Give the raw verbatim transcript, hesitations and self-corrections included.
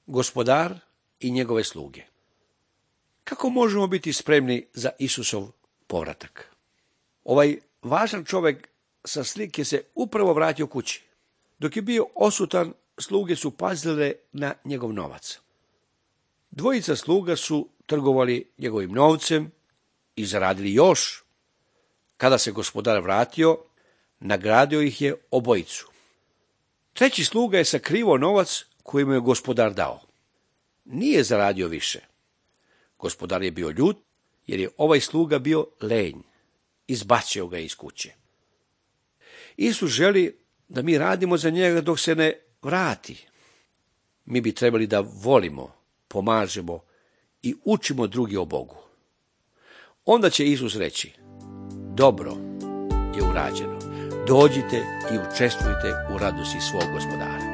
gospodar i njegove sluge. Kako možemo biti spremni za Isusov povratak? Ovaj važan čovjek sa slike se upravo vratio kući. Dok je bio odsutan, sluge su pazile na njegov novac. Dvojica sluga su trgovali njegovim novcem i zaradili još. Kada se gospodar vratio, nagradio ih je obojicu. Treći sluga je sakrivao novac koji mu je gospodar dao. Nije zaradio više. Gospodar je bio ljut, jer je ovaj sluga bio lenj. Izbacio ga iz kuće. Isus želi da mi radimo za njega dok se ne vrati. Mi bi trebali da volimo, pomažemo i učimo drugi o Bogu. Onda će Isus reći: dobro je urađeno, dođite i učestvujte u radosti svog gospodara.